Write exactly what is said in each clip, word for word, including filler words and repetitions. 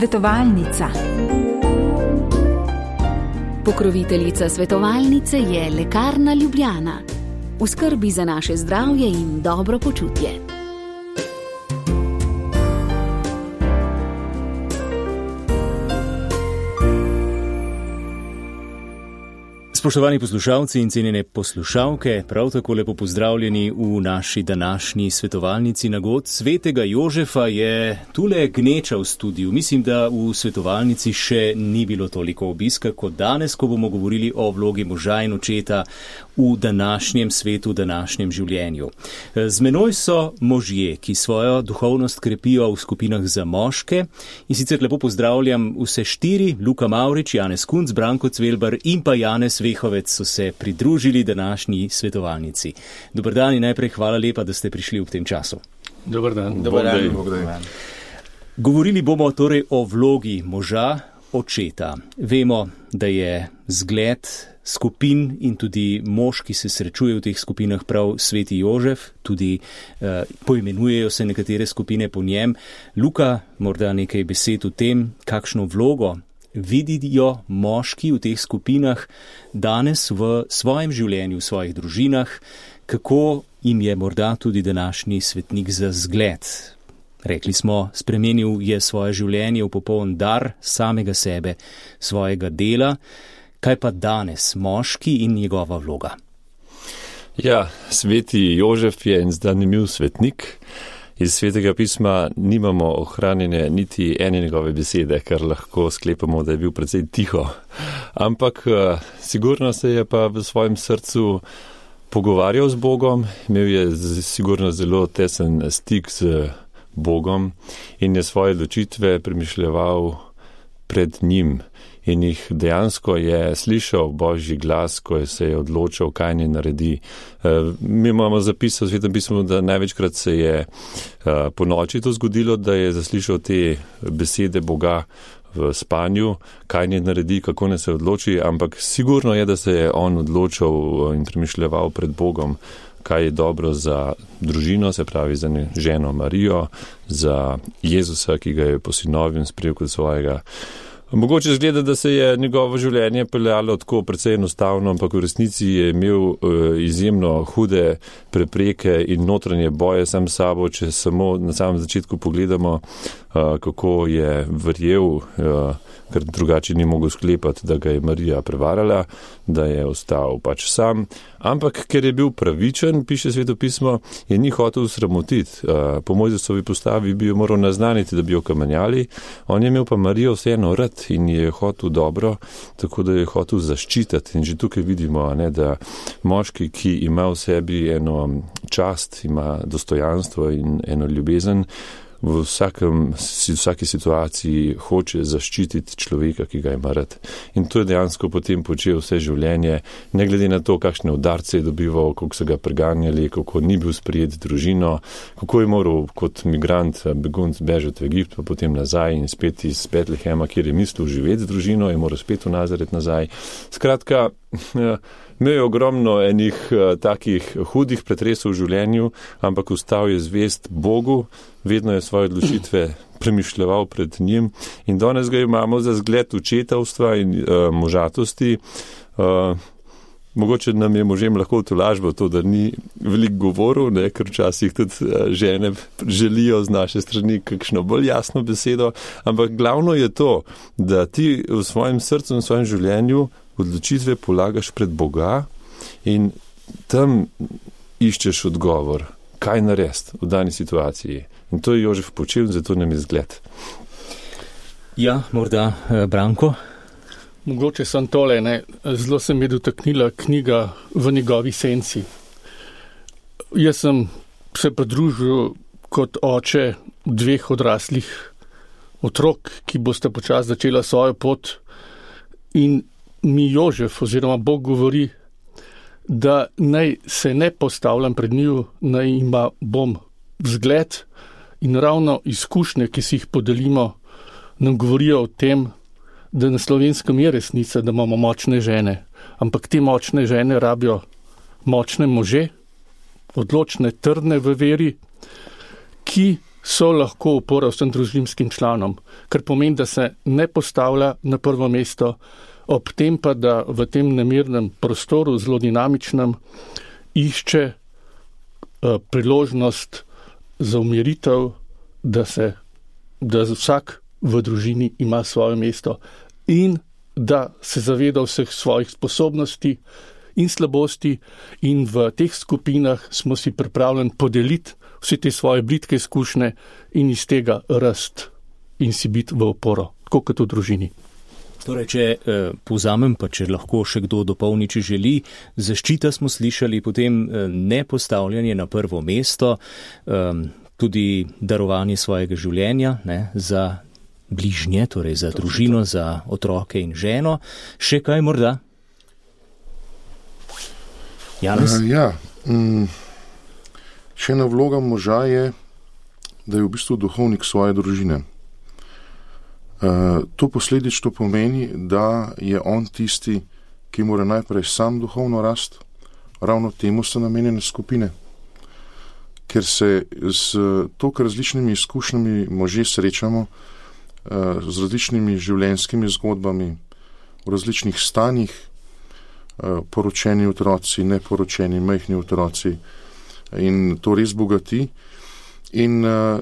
Svetovalnica. Pokroviteljica svetovalnice je Lekarna Ljubljana. V skrbi za naše zdravje in dobro počutje. Spoštovani poslušalci in cenjene poslušalke, prav tako lepo pozdravljeni v naši današnji svetovalnici Nagod svetega Jožefa. Je tule gneča v studiu. Mislim, da v svetovalnici še ni bilo toliko obiska kot danes, ko bomo govorili o vlogi moža in očeta v današnjem svetu, v današnjem življenju. Z menoj so možje, ki svojo duhovnost krepijo v skupinah za moške, in sicer lepo pozdravljam vse štiri: Luka Mavrič, Janez Kunc, Branko Cvelbar in pa Janez Vehovec so se pridružili današnji svetovalnici. Dobar dan in najprej hvala lepa, da ste prišli v tem času. Dobar dan. Dobar dan. Dobar dan. Govorili bomo torej o vlogi moža, očeta. Vemo, da je zgled skupin in tudi mož, ki se srečuje v teh skupinah, prav sveti Jožef, tudi eh, poimenujejo se nekatere skupine po njem. Luka, morda nekaj besed o tem, kakšno vlogo vidijo moški v teh skupinah danes v svojem življenju, v svojih družinah, kako jim je morda tudi današnji svetnik za zgled. Rekli smo, spremenil je svoje življenje v popoln dar samega sebe, svojega dela. Kaj pa danes moški in njegova vloga? Ja, sveti Jožef je en zanimiv svetnik. Iz svetega pisma nimamo ohranjene niti ene njegove besede, kar lahko sklepamo, da je bil precej tiho. Ampak sigurno se je pa v svojem srcu pogovarjal z Bogom, imel je sigurno zelo tesen stik z Bogom in je svoje odločitve premišljeval pred njim. In jih dejansko je slišal Božji glas, ko se je odločil, kaj naj naredi. Mi imamo zapis v Svetem pismu, da največkrat se je po noči to zgodilo, da je zaslišal te besede Boga v spanju, kaj naj naredi, kako naj se odloči, ampak sigurno je, da se je on odločil in premišljeval pred Bogom, kaj je dobro za družino, se pravi za ženo Marijo, za Jezusa, ki ga je posinovil in sprejel kot svojega. Mogoče zgleda, da se je njegovo življenje peljalo tako precej enostavno, ampak v resnici je imel uh, izjemno hude prepreke in notranje boje sam s sabo, če samo na samem začetku pogledamo, uh, kako je verjel, uh, ker drugače ni mogel sklepati, da ga je Marija prevarala, da je ostal pač sam. Ampak ker je bil pravičen, piše Sveto pismo, je ni hotel sramotiti. Uh, po Mojzesovi postavi bi jo moral naznaniti, da bi jo kamenjali. On je imel pa Marijo vseeno rad in je hotel dobro, tako da je hotel zaščititi. In že tukaj vidimo, ne, da moški, ki ima v sebi eno čast, ima dostojanstvo in eno ljubezen, v vsakem, vsaki situaciji hoče zaščititi človeka, ki ga ima rad. In to je dejansko potem počel vse življenje, ne glede na to, kakšne udarce je dobival, kako so ga preganjali, kako ni bil sprijet družino, kako je moral kot migrant begunc bežati v Egipt, pa potem nazaj in spet iz Betlehema, kjer je mislil živeti z družino, je moral spet v Nazaret nazaj. Skratka, imel je ogromno enih takih hudih pretresov v življenju, ampak ostal je zvest Bogu, vedno je svoje odločitve premišljeval pred njim in danes ga imamo za zgled očetovstva in uh, možatosti. Uh, mogoče nam je možem lahko tolažbo to, da ni veliko govoril, ne, ker včasih tudi uh, žene želijo z naše strani kakšno bolj jasno besedo, ampak glavno je to, da ti v svojem srcu in v svojem življenju odločitve polagaš pred Boga in tam iščeš odgovor, kaj narediti v dani situaciji. In to je Jožef počel, zato nam je zgled. Ja, morda Branko? Mogoče sem tole, ne. Zelo se mi je dotaknila knjiga V njegovi senci. Jaz sem se pridružil kot oče dveh odraslih otrok, ki boste počasi začela svojo pot, in mi Jožef oziroma Bog govori, da naj se ne postavljam pred njiju, naj ima bom vzgled, in ravno izkušnje, ki si jih podelimo, nam govorijo o tem, da na Slovenskem je resnica, da imamo močne žene, ampak te močne žene rabijo močne može, odločne, trdne v veri, ki so lahko opora vsem družinskim članom, kar pomeni, da se ne postavlja na prvo mesto, ob tem pa, da v tem nemirnem prostoru, zelo dinamičnem, išče uh, priložnost za umiritev, da se, da vsak v družini ima svoje mesto in da se zaveda vseh svojih sposobnosti in slabosti in v teh skupinah smo si pripravljeni podeliti vse te svoje blitke izkušnje in iz tega rast in si biti v oporo, tako kot v družini. Torej, če eh, povzamem, pa če lahko še kdo dopolni, če želi, zaščita smo slišali, potem eh, nepostavljanje na prvo mesto, eh, tudi darovanje svojega življenja, ne, za bližnje, torej za družino, za otroke in ženo. Še kaj morda? Janez? Uh, ja, um, še ena vloga moža je, da je v bistvu duhovnik svoje družine. Uh, to posledično pomeni, da je on tisti, ki mora najprej sam duhovno rast, ravno temu so namenjene skupine. Ker se s toliko različnimi izkušnjami možje srečamo, uh, z različnimi življenjskimi zgodbami, v različnih stanjih, uh, poročeni otroci, neporočeni, majhni otroci, in to res bogati. In uh,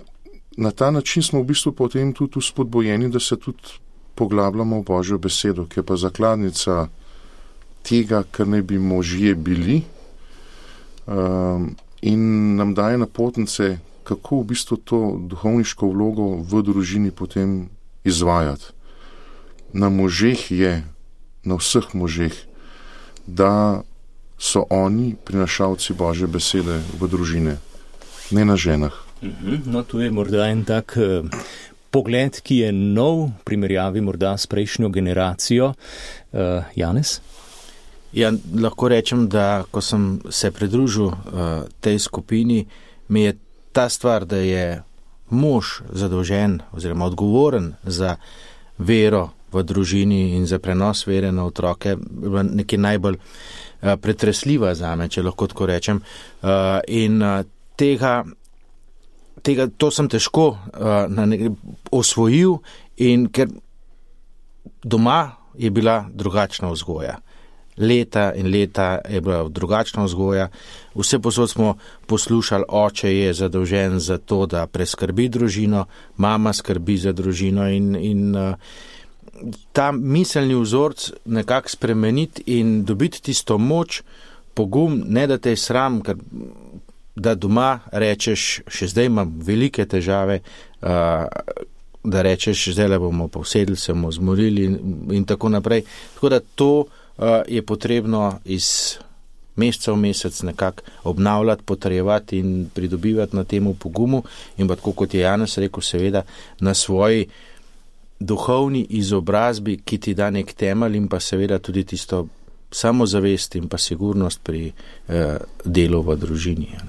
na ta način smo v bistvu potem tudi spodbojeni, da se tudi poglabljamo v Božjo besedo, ki je pa zakladnica tega, kar naj bi možje bili, um, in nam daje napotnice, kako v bistvu to duhovniško vlogo v družini potem izvajati. Na možeh je, na vseh možeh, da so oni prinašalci Božje besede v družine, ne na ženah. No, tu je morda en tak uh, pogled, ki je nov, v primerjavi morda s prejšnjo generacijo. Uh, Janez? Ja, lahko rečem, da ko sem se pridružil uh, tej skupini, mi je ta stvar, da je mož zadolžen oziroma odgovoren za vero v družini in za prenos vere na otroke, nekaj najbolj uh, pretresljiva zame, če lahko tako rečem. Uh, in uh, tega Tega, to sem težko uh, na nek, osvojil in ker doma je bila drugačna vzgoja. Leta in leta je bila drugačna vzgoja. Vse posod smo poslušali, oče je zadolžen za to, da preskrbi družino, mama skrbi za družino in, in uh, ta miselni vzorc nekako spremeniti in dobiti tisto moč, pogum, ne da te je sram, ker da doma rečeš, še zdaj imam velike težave, uh, da rečeš, zdaj le bomo povsedli, se bomo zmorili in, in tako naprej. Tako da to uh, je potrebno iz meseca v mesec nekako obnavljati, potrebovati in pridobivati na temu pogumu in pa tako, kot je Janez rekel, seveda na svoji duhovni izobrazbi, ki ti da nek temelj in pa seveda tudi tisto samozavest in pa sigurnost pri uh, delu v družini. Ja.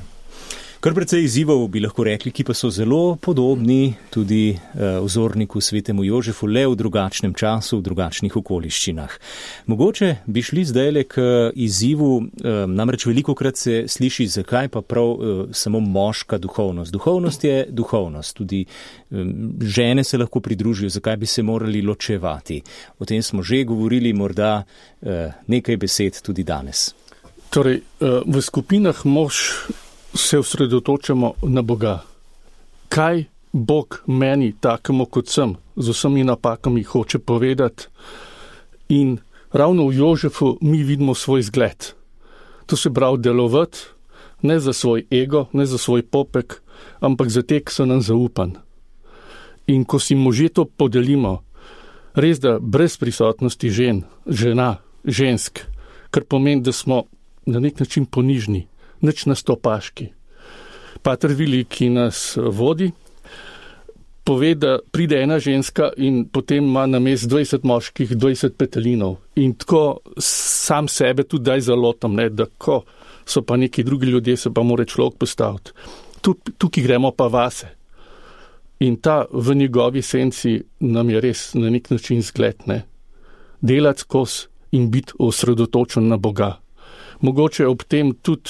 Kar precej izzivov bi lahko rekli, ki pa so zelo podobni tudi uh, vzorniku svetemu Jožefu, le v drugačnem času, v drugačnih okoliščinah. Mogoče bi šli zdajle k izzivu, uh, namreč velikokrat se sliši, zakaj pa prav uh, samo moška duhovnost. Duhovnost je duhovnost, tudi um, žene se lahko pridružijo, zakaj bi se morali ločevati. O tem smo že govorili, morda uh, nekaj besed tudi danes. Torej, uh, v skupinah mož se osredotočamo na Boga. Kaj Bog meni, takemu kot sem, z vsemi napakami hoče povedati? In ravno v Jožefu mi vidimo svoj zgled. To se pravi delovati, ne za svoj ego, ne za svoj popek, ampak za te, ki so nam zaupan. In ko si možje to podelimo, res da brez prisotnosti žen, žena, žensk, kar pomeni, da smo na nek način ponižni, nič na stopaški. Pater Vili, ki nas vodi, pove, da pride ena ženska in potem ima na mest dvajset moških, dvajset petelinov. In tako sam sebe tudi daj zalotam, ne, da ko so pa neki drugi ljudje, se pa mora človek postaviti. Tukaj gremo pa vase. In ta v njegovi senci nam je res na nek način zgled, ne. Delati skozi in biti osredotočen na Boga. Mogoče ob tem tudi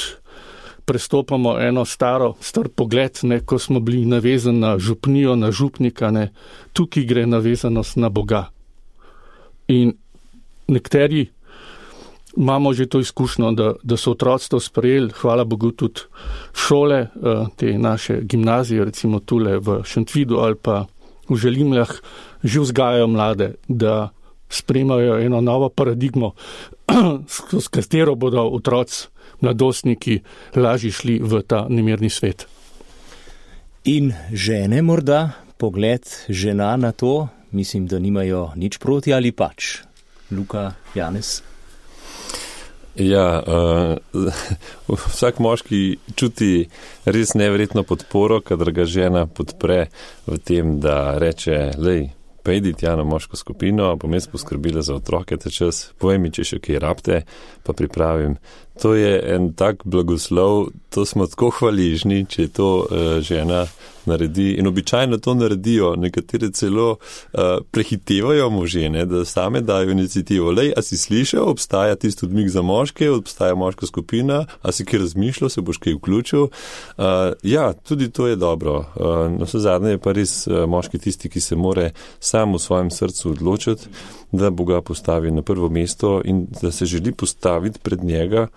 prestopamo eno staro, star pogled, ne, ko smo bili navezani na župnijo, na župnika, ne, tukaj gre navezanost na Boga. In nekateri imamo že to izkušnjo, da, da so otroci to sprejeli, hvala Bogu tudi šole, te naše gimnazije, recimo tule v Šentvidu ali pa v Želimljah, že vzgajajo mlade, da sprejemajo eno novo paradigmo, s katero bodo otroci, mladostniki lažje šli v ta nemirni svet. In žene morda, pogled žena na to, mislim, da nimajo nič proti ali pač. Luka, Janez? Ja, uh, vsak moški čuti res neverjetno podporo, kadar ga žena podpre v tem, da reče, lej, pa idi tja na moško skupino, bom jaz poskrbila za otroke ta čas, povej mi, če še kaj rabte, pa pripravim. To je en tak blagoslov, to smo tako hvaležni, če to uh, žena naredi. In običajno to naredijo, nekatere celo uh, prehitevajo možene, da same dajo inicijativo. Lej, a si slišal, obstaja tisti odmik za moške, obstaja moška skupina, a si kaj razmišljal, se boš kaj vključil. Uh, ja, tudi to je dobro. Uh, na vse zadnje je pa res uh, moški tisti, ki se more sam v svojem srcu odločiti, da Boga postavi na prvo mesto in da se želi postaviti pred njega.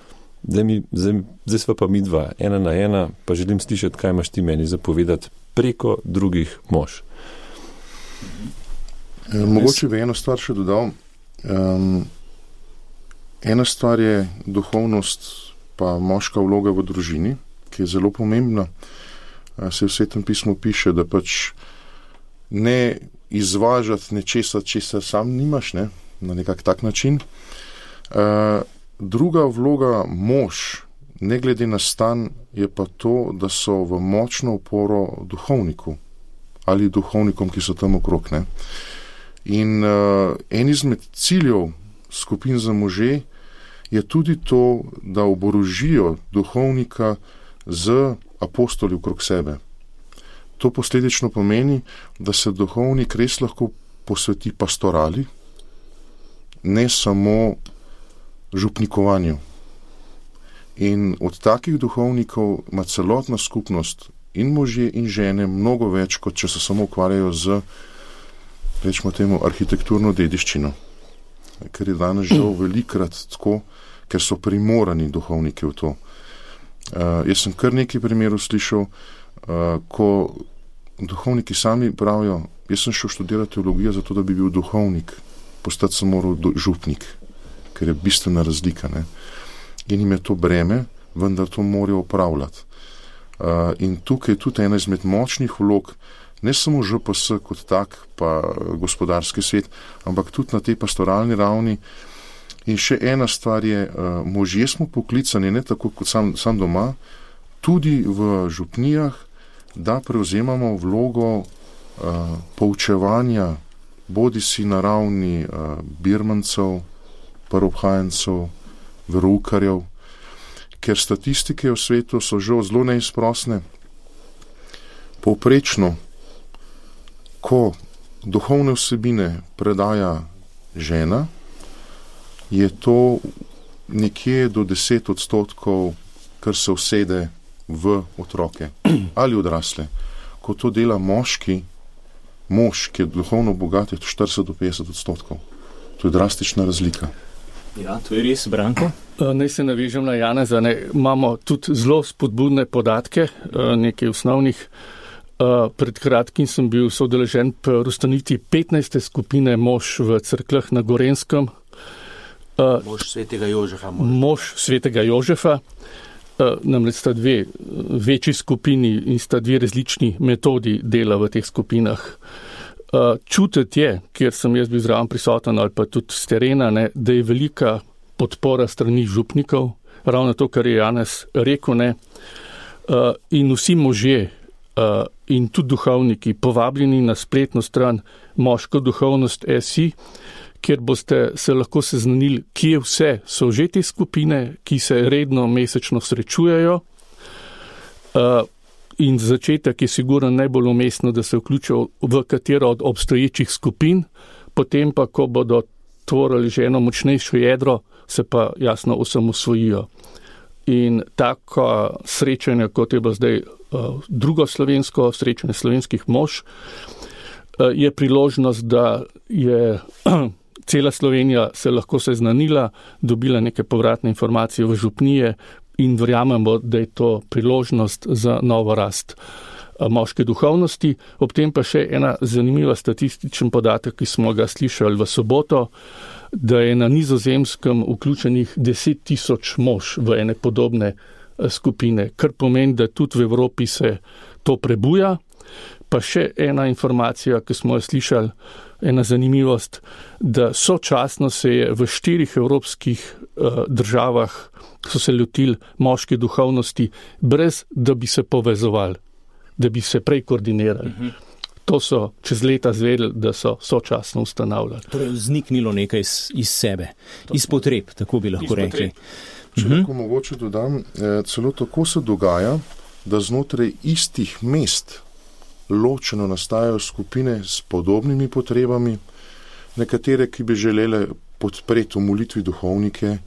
Zdaj, mi, zdaj, zdaj sva pa mi dva, ena na ena, pa želim slišati, kaj imaš ti meni zapovedati preko drugih mož. E, mogoče bi eno stvar še dodal. Um, ena stvar je duhovnost pa moška vloga v družini, ki je zelo pomembna. E, se v Svetem pismu piše, da pač ne izvažati nečesa, česa sam nimaš, ne, na nekak tak način. E, Druga vloga mož, ne glede na stan, je pa to, da so v močno oporo duhovniku ali duhovnikom, ki so tam okrog. Ne? In uh, en izmed ciljev skupin za može je tudi to, da oborožijo duhovnika z apostoli okrog sebe. To posledično pomeni, da se duhovnik res lahko posveti pastorali, ne samo župnikovanju. In od takih duhovnikov ima celotna skupnost in možje in žene mnogo več, kot če se samo ukvarjajo z, rečemo temu, arhitekturno dediščino. Ker je danes žal velikrat tako, ker so primorani duhovniki v to. Uh, jaz sem kar nekaj primerov slišal, uh, ko duhovniki sami pravijo, jaz sem šel študirati teologijo zato, da bi bil duhovnik, postati sem moral do, župnik, ker je bistvena razlika. Ne? In jim je to breme, vendar to morajo upravljati. Uh, in tukaj je tudi ena izmed močnih vlog, ne samo Ž P S kot tak, pa gospodarski svet, ampak tudi na tej pastoralni ravni. In še ena stvar je, uh, možje smo poklicani, ne tako kot sam, sam doma, tudi v župnijah, da prevzemamo vlogo uh, poučevanja, bodi si na ravni uh, birmancev, prvobhajencev, veroukarjev, ker statistike v svetu so že zelo neizprosne. Povprečno, ko duhovne vsebine predaja žena, je to nekje do deset odstotkov, kar se usede v otroke ali odrasle. Ko to dela moški, mož, ki je duhovno bogat, je to štirideset do petdeset odstotkov. To je drastična razlika. Ja, to je res, Branko. Naj se navežem na Janeza. Ne, imamo tudi zelo spodbudne podatke, nekaj osnovnih. Pred kratkim sem bil soudeležen pri ustanovitvi petnajste skupine mož v Cerkljah na Gorenskem. Mož svetega Jožefa. Mož, mož svetega Jožefa. Namreč sta dve večji skupini in sta dve različni metodi dela v teh skupinah. Čutiti je, kjer sem jaz bil zraven prisoten ali pa tudi z terena, ne, da je velika podpora strani župnikov, ravno to, kar je Janez rekel, ne, in vsi možje in tudi duhovniki povabljeni na spletno stran Moška duhovnost pika si, kjer boste se lahko seznanili, kje vse so že te skupine, ki se redno mesečno srečujejo. In začetek je sigurno najbolj umestno, da se vključijo v katero od obstoječih skupin, potem pa, ko bodo tvorili že eno močnejšo jedro, se pa jasno osamosvojijo. in tako srečanje, kot je bilo zdaj drugo slovensko srečanje slovenskih mož, je priložnost, da je cela Slovenija se lahko seznanila, dobila neke povratne informacije v župnije in verjamemo, da je to priložnost za novo rast moške duhovnosti. Ob tem pa še ena zanimiva statističen podatek, ki smo ga slišali v soboto, da je na Nizozemskem vključenih deset tisoč mož v ene podobne skupine, kar pomeni, da tudi v Evropi se to prebuja. Pa še ena informacija, ki smo jo slišali, ena zanimivost, da sočasno se je v štirih evropskih uh, državah so se lotili moške duhovnosti, brez da bi se povezovali, da bi se prej koordinirali. Uh-huh. To so čez leta zvedeli, da so sočasno ustanavljali. Torej vzniknilo nekaj iz, iz sebe, to iz potreb, tako bi lahko rekli. Če lahko uh-huh. mogoče dodam, eh, celo tako se dogaja, da znotraj istih mest ločeno nastajajo skupine s podobnimi potrebami, nekatere, ki bi želele podpreti v molitvi duhovnike,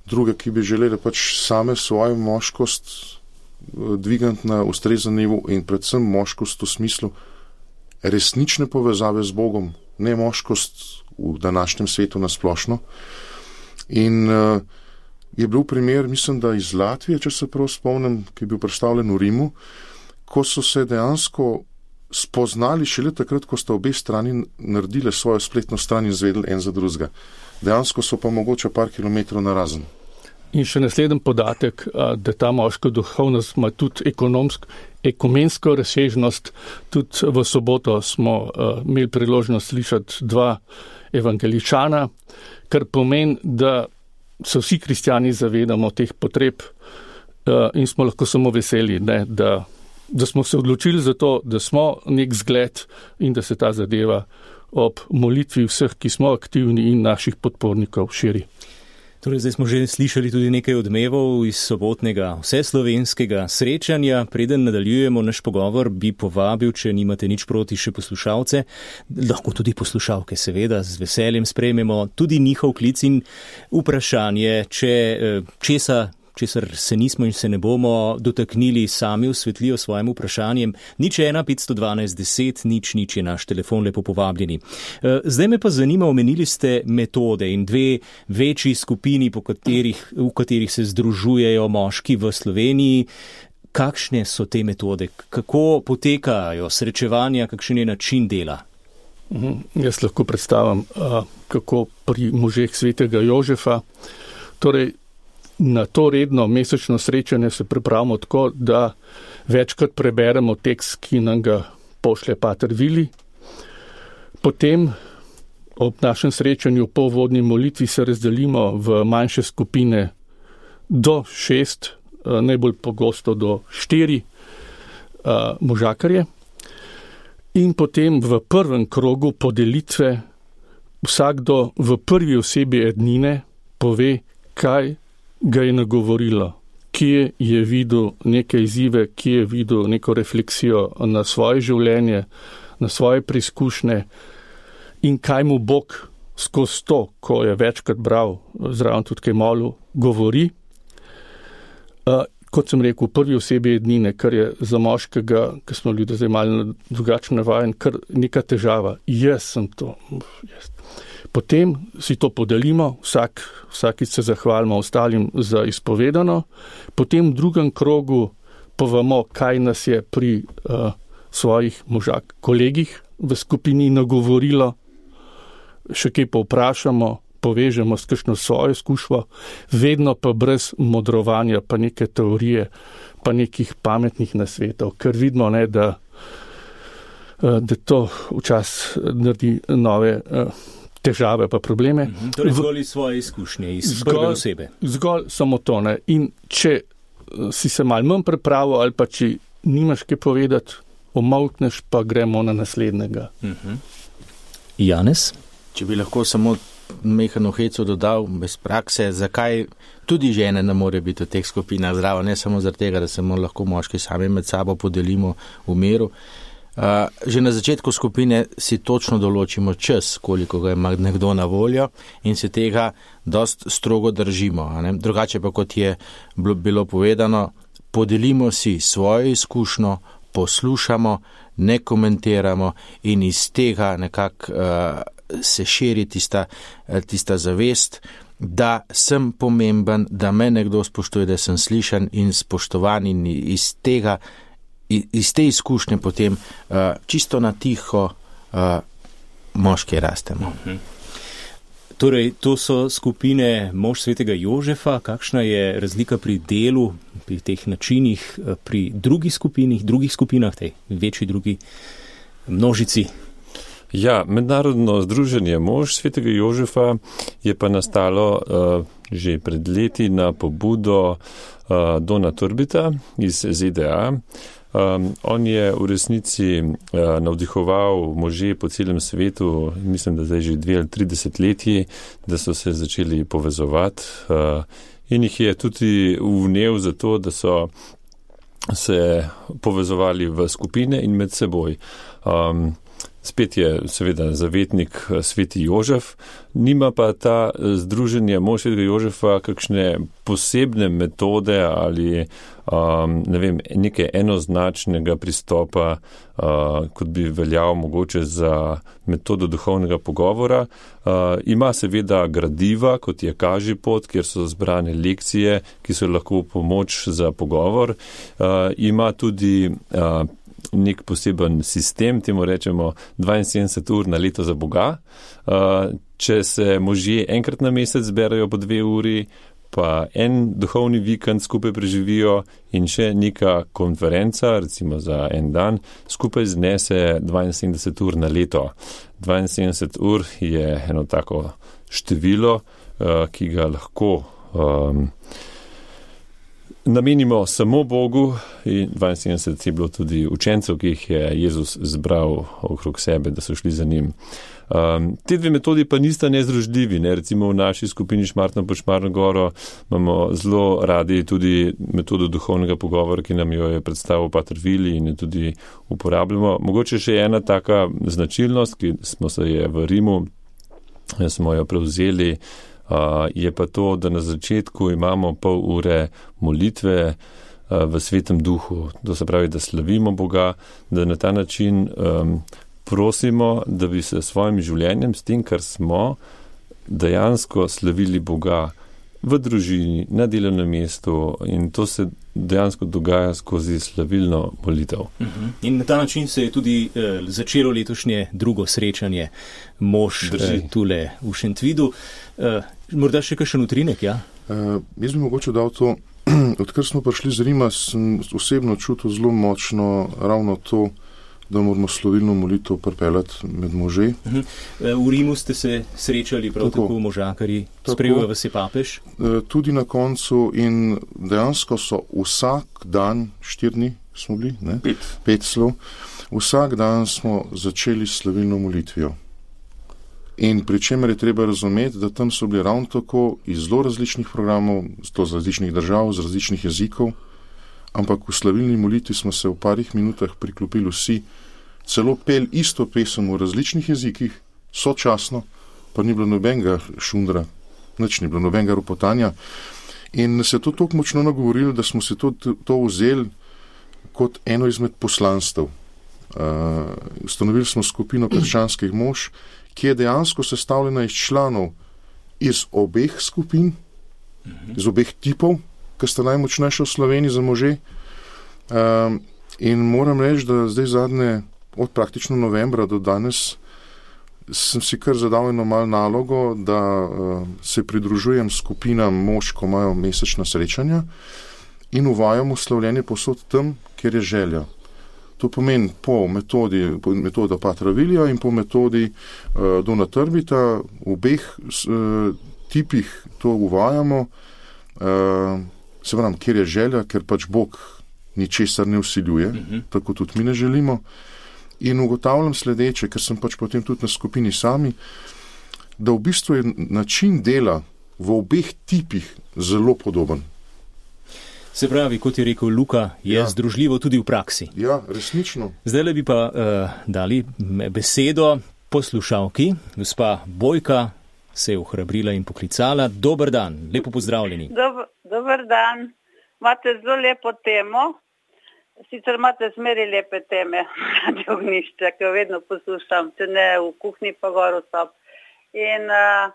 druge, ki bi želele pač same svojo moškost dvigati na ustrezen nivo in predvsem moškost v smislu resnične povezave z Bogom, ne moškost v današnjem svetu nasplošno. In uh, je bil primer, mislim, da iz Latvije, če se prav spomnim, ki je bil predstavljen v Rimu, ko so se dejansko spoznali šele takrat, ko sta obe strani naredile svojo spletno stran in zvedeli en za drugega. Dejansko so pa mogoče par kilometrov narazen. In še naslednji podatek, da ta moška duhovnost ima tudi ekonomsko, ekumensko razsežnost. Tudi v soboto smo uh, imeli priložnost slišati dva evangeličana, kar pomeni, da se vsi kristjani zavedamo teh potreb uh, in smo lahko samo veseli, ne, da da smo se odločili za to, da smo nek zgled in da se ta zadeva ob molitvi vseh, ki smo aktivni in naših podpornikov širi. Torej, zdaj smo že slišali tudi nekaj odmevov iz sobotnega vseslovenskega srečanja. Preden nadaljujemo naš pogovor, bi povabil, če nimate nič proti, še poslušalce, lahko tudi poslušalke, seveda, z veseljem sprejmemo tudi njihov klic in vprašanje, če česa česar se nismo in se ne bomo dotaknili, sami osvetlijo svojim vprašanjem. Nič ena petsto dvanajst deset, nič nič je naš telefon, lepo povabljeni. Zdaj me pa zanima, omenili ste metode in dve večji skupini, po katerih, v katerih se združujejo moški v Sloveniji. Kakšne so te metode? Kako potekajo srečevanja, kakšen je način dela? Mhm, jaz lahko predstavim, kako pri možeh svetega Jožefa. Torej, na to redno mesečno srečanje se pripravimo tako, da večkrat preberemo tekst, ki nam ga pošlje pater Vili. Potem ob našem srečanju po uvodni molitvi se razdelimo v manjše skupine do šest, najbolj pogosto do štiri možakarje. In potem v prvem krogu podelitve vsakdo v prvi osebi ednine pove, kaj ga je nagovorilo, kje je videl neke izzive, kje je videl neko refleksijo na svoje življenje, na svoje preizkušnje in kaj mu Bog skozi to, ko je večkrat bral, zraven tudi kaj molil, govori. Uh, kot sem rekel, prvi osebi ednine, kar je za moškega, ki smo ljudje zdaj malo drugačno navajen, kar neka težava. Jaz sem to. Jaz. Potem si to podelimo, vsak, vsakič se zahvalimo ostalim za izpovedano, potem v drugem krogu povemo, kaj nas je pri uh, svojih možak kolegih v skupini nagovorilo, še kaj pa vprašamo, povežemo s kakšno svojo izkušnjo, vedno pa brez modrovanja, pa neke teorije, pa nekih pametnih nasvetov, ker vidimo, ne, da, uh, da to včasih naredi nove uh, težave pa probleme. Mm-hmm. Torej zgolj iz svoje izkušnje, iz prve osebe. Zgolj samo to, ne. In če si se malo manj pripravil ali pa če nimaš kaj povedati, omolkneš pa gremo na naslednjega. Mm-hmm. Janez? Če bi lahko samo mehano heco dodal bez prakse, zakaj tudi žene ne more biti v teh skupinah zdravo, ne samo zaradi tega, da se lahko moški sami med sabo podelimo v miru, Uh, že na začetku skupine si točno določimo čas, koliko ga ima nekdo na voljo in se tega dost strogo držimo. A ne? Drugače pa, kot je bilo povedano, podelimo si svojo izkušnjo, poslušamo, ne komentiramo in iz tega nekako uh, se širi tista, tista zavest, da sem pomemben, da me nekdo spoštuje, da sem slišan in spoštovan in iz tega iz te izkušnje potem uh, čisto na tiho uh, moški rastemo. Mhm. Torej, to so skupine mož svetega Jožefa. Kakšna je razlika pri delu, pri teh načinih, pri drugih skupinih, drugih skupinah, tej večji drugi množici? Ja, mednarodno združenje mož svetega Jožefa je pa nastalo uh, že pred leti na pobudo uh, Dona Turbita iz Z D A. Um, on je v resnici uh, navdihoval može po celem svetu, mislim, da zdaj že dve ali tri desetletji, da so se začeli povezovati uh, in jih je tudi vnel za to, da so se povezovali v skupine in med seboj. Um, Spet je seveda zavetnik sveti Jožef, nima pa ta združenje mož svetega Jožefa kakšne posebne metode ali um, ne vem, neke enoznačnega pristopa, uh, kot bi veljal mogoče za metodo duhovnega pogovora. Uh, ima seveda gradiva, kot je Kaži pot, kjer so zbrane lekcije, ki so lahko pomoč za pogovor. Uh, ima tudi uh, nek poseben sistem, temu rečemo dvainsedemdeset ur na leto za Boga. Če se možje enkrat na mesec zberajo po dve uri, pa en duhovni vikend skupaj preživijo in še neka konferenca, recimo za en dan, skupaj znese dvainsedemdeset ur na leto. dvainsedemdeset ur je eno tako število, ki ga lahko um, namenimo samo Bogu in dvainsedemdeset je bilo tudi učencev, ki jih je Jezus zbral okrog sebe, da so šli za njim. Um, te dve metodi pa nista nezdružljivi. Ne? Recimo v naši skupini Šmartno pod Šmarno goro imamo zelo radi tudi metodo duhovnega pogovora, ki nam jo je predstavil pater Vili in jo tudi uporabljamo. Mogoče še ena taka značilnost, ki smo se je v Rimu, smo jo prevzeli, Uh, je pa to, da na začetku imamo pol ure molitve uh, v svetem duhu. To se pravi, da slavimo Boga, da na ta način um, prosimo, da bi se svojim življenjem, s tem, kar smo, dejansko slavili Boga v družini, na delovnem mestu in to se dejansko dogaja skozi slavilno molitev. Uh-huh. In na ta način se je tudi eh, začelo letošnje drugo srečanje mož eh, tule v Šentvidu. Eh, morda še kakšen utrinek, ja? Uh, jaz bi mogoče dal to, odkar smo prišli z Rima, sem osebno čutil zelo močno ravno to, da moramo slovilno molitev pripeljati med može. Uh-huh. V Rimu ste se srečali prav tako, tako možakarji, sprejel vas je papež? Tudi na koncu in dejansko so vsak dan, štiri dni smo bili, ne? Pet. Pet slov, vsak dan smo začeli s slovilno molitvijo. In pri čemer je treba razumeti, da tam so bili ravno tako iz zelo različnih programov, to z različnih držav, z različnih jezikov, ampak v slavilni molitvi smo se v parih minutah priklopili vsi, celo pel isto pesem v različnih jezikih, sočasno, pa ni bilo nobenega šundra, nič ni bilo nobenega ropotanja. In se je to tako močno nagovorilo, da smo se to, to vzeli kot eno izmed poslanstev. Uh, ustanovili smo skupino krščanskih mož, ki je dejansko sestavljena iz članov iz obeh skupin, iz obeh tipov, ki sta najmočnejša v Sloveniji za može. Um, in moram reči, da zdaj zadnje, od praktično novembra do danes, sem si kar zadal eno malo nalogo, da uh, se pridružujem skupinam mož, ko imajo mesečna srečanja in uvajamo slavljenje posod tam, kjer je želja. To pomeni po metodi, po metoda Patra Vilija in po metodi uh, Dona Turbita, v obeh uh, tipih to uvajamo. Uh, se pravim, kjer je želja, ker pač Bog ničesar ne vsiljuje, uh-huh. tako tudi mi ne želimo. In ugotavljam sledeče, ker sem pač potem tudi na skupini sami, da v bistvu je način dela v obeh tipih zelo podoben. Se pravi, kot je rekel Luka, je ja. združljivo tudi v praksi. Ja, resnično. Zdaj le bi pa uh, dali besedo poslušalki. Gospa Bojka se je ohrabrila in poklicala. Dober dan, lepo pozdravljeni. Dob, dober dan. Imate zelo lepo temo. Sicer imate zmeri lepe teme, Radio Ognjišče, ki jo vedno poslušam, če ne v kuhinji pa gor v sob. In uh,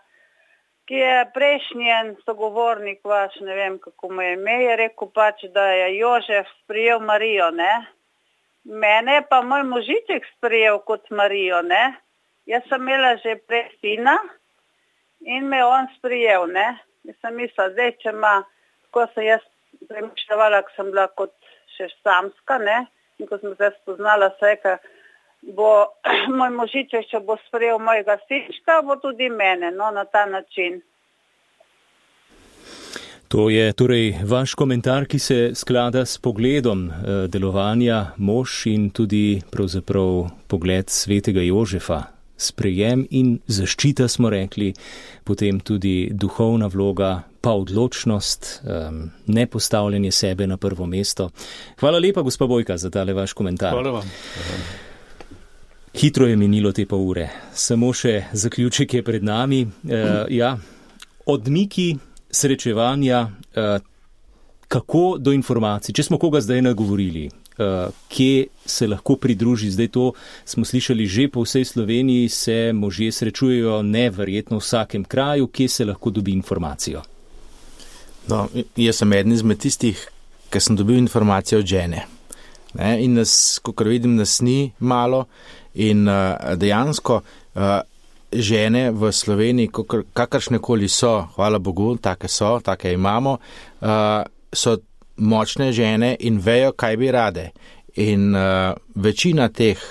ki je prejšnjen sogovornik vaš, ne vem kako mu je ime, je rekel pač, da je Jožef sprijel Marijo, ne. Mene je pa moj možiček sprijel kot Marijo, ne. Jaz sem imela že prej sina in me on sprijel, ne. Jaz sem mislila, zdaj, če ima, ko sem jaz premišljala, ko sem bila kot še samska, ne, in ko sem se spoznala vse, ka bo moj možiček, če bo sprejel mojega sinčka, bo tudi mene, no, na ta način. To je torej vaš komentar, ki se sklada s pogledom eh, delovanja mož in tudi pravzaprav pogled svetega Jožefa. Sprejem in zaščita, smo rekli, potem tudi duhovna vloga, pa odločnost, um, ne postavljanje sebe na prvo mesto. Hvala lepa, gospa Bojka, za tale vaš komentar. Hvala vam. Hitro je minilo te pol ure. Samo še zaključek je pred nami. Uh, ja, odmiki srečevanja, uh, kako do informacij, če smo koga zdaj nagovorili, Uh, kje se lahko pridruži. Zdaj to smo slišali že po vsej Sloveniji, se možje srečujejo neverjetno v vsakem kraju, kje se lahko dobi informacijo. No, jaz sem eden izmed tistih, ki sem dobil informacijo od žene. Ne, in nas, kakor vidim, nas ni malo in uh, dejansko uh, žene v Sloveniji, kakor, kakršnekoli so, hvala Bogu, take so, take imamo, uh, so močne žene in vejo, kaj bi rade. In uh, večina teh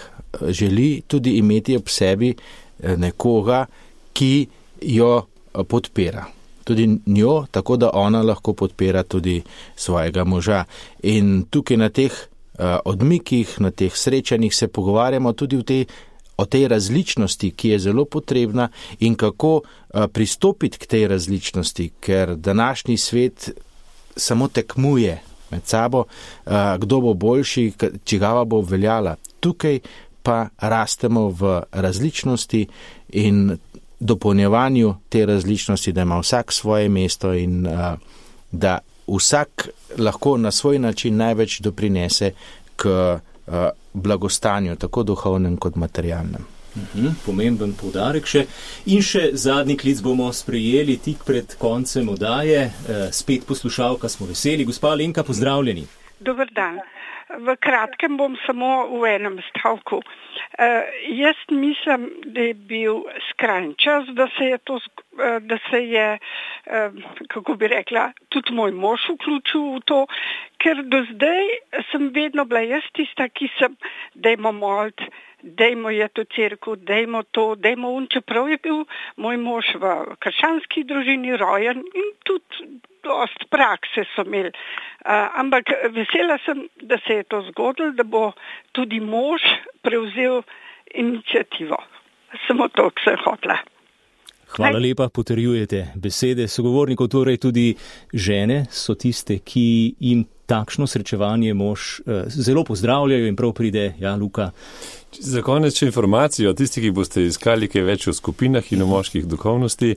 želi tudi imeti ob sebi nekoga, ki jo podpira. Tudi njo, tako da ona lahko podpira tudi svojega moža. In tukaj na teh uh, odmikih, na teh srečanjih se pogovarjamo tudi v tej, o tej različnosti, ki je zelo potrebna in kako uh, pristopiti k tej različnosti, ker današnji svet samo tekmuje med sabo, kdo bo boljši, čigava bo obveljala. Tukaj pa rastemo v različnosti in dopolnjevanju te različnosti, da ima vsak svoje mesto in da vsak lahko na svoj način največ doprinese k blagostanju, tako duhovnem kot materialnem. Uhum, pomemben poudarek še. In še zadnji klic bomo sprejeli tik pred koncem oddaje. E, spet poslušalka, smo veseli. Gospa Alenka, pozdravljeni. Dober dan. V kratkem bom samo v enem stavku. E, jaz mislim, da je bil skrajni čas, da se je to, da se je, e, kako bi rekla, tudi moj mož vključil v to, ker do zdaj sem vedno bila jaz tista, ki sem, dajmo moliti, dejmo je to cerkev, dejmo to, dejmo un, čeprav je bil moj mož v krščanski družini rojen in tudi dost prakse so imeli. Uh, ampak vesela sem, da se je to zgodilo, da bo tudi mož prevzel inicijativo. Samo to, kar sem hotela. Hvala lepa, potrjujete besede sogovornikov, torej tudi žene so tiste, ki jim takšno srečevanje mož eh, zelo pozdravljajo in prav pride, ja, Luka. Za konec še informacijo, tisti, ki boste iskali kaj več o skupinah in o moških duhovnosti,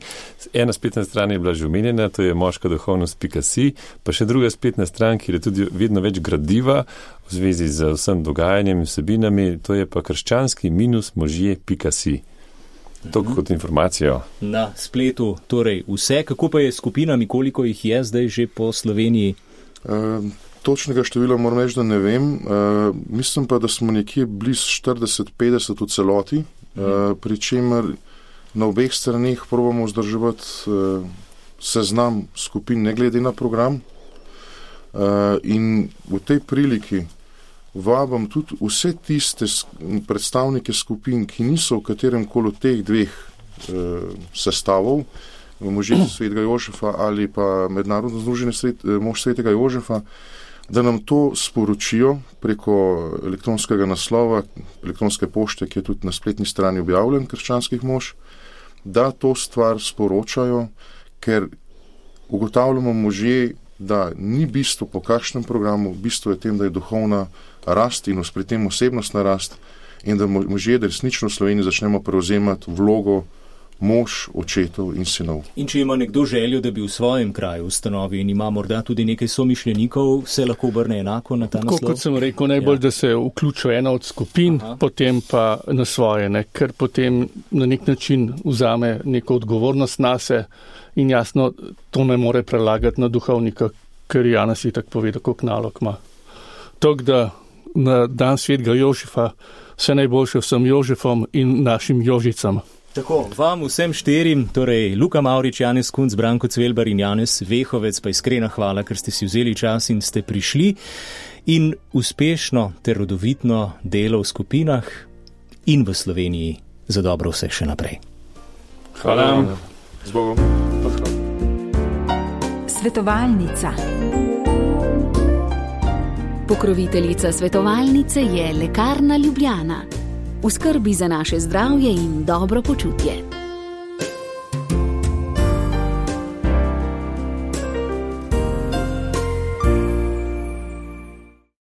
ena spletna stran je bila že omenjena, to je moška duhovnost pika si, pa še druga spletna stran, kjer je tudi vedno več gradiva v zvezi z vsem dogajanjem in vsebinami, to je pa krščanski minus možje pika si. To kot informacijo. Na spletu torej vse, kako pa je s skupinami, koliko jih je zdaj že po Sloveniji? Uh, točnega števila moram reči, da ne vem. Uh, mislim pa, da smo nekje blizu štirideset petdeset v celoti, uh, pri čemer na obeh straneh probamo vzdrževati uh, seznam skupin, ne glede na program. Uh, in v tej priliki vabam tudi vse tiste predstavnike skupin, ki niso v katerem koli teh dveh uh, sestavov, možje svetega Jožefa ali pa mednarodno združenje svet, mož svetega Jožefa, da nam to sporočijo preko elektronskega naslova, elektronske pošte, ki je tudi na spletni strani objavljen krščanskih mož, da to stvar sporočajo, ker ugotavljamo možje, da ni bistvo po kakšnem programu, bistvo je tem, da je duhovna rast in pri tem osebnostna rast in da možje resnično v Sloveniji začnemo prevzemati vlogo mož, očetov in sinov. In če ima nekdo željo, da bi v svojem kraju ustanovi in ima morda tudi nekaj somišljenikov, se lahko obrne enako na ta naslov? Tako kot sem rekel, najbolj, ja. Da se vključuje ena od skupin, Aha. potem pa na svoje, ne? Ker potem na nek način vzame neko odgovornost nase in jasno, to ne more prelagati na duhovnika, ker Janez je tako povedal, koliko nalog ima. Tako da na dan svetega Jožefa vse najboljše vsem Jožefom in našim Jožicam. Tako, vam vsem štirim, torej Luka Mavrič, Janez Kunc, Branko Cvelbar in Janez Vehovec, pa iskrena hvala, ker ste si vzeli čas in ste prišli in uspešno ter rodovitno delo v skupinah in v Sloveniji za dobro vse še naprej. Hvala. Z Bogom. Svetovalnica. Pokroviteljica svetovalnice je Lekarna Ljubljana. V skrbi za naše zdravje in dobro počutje.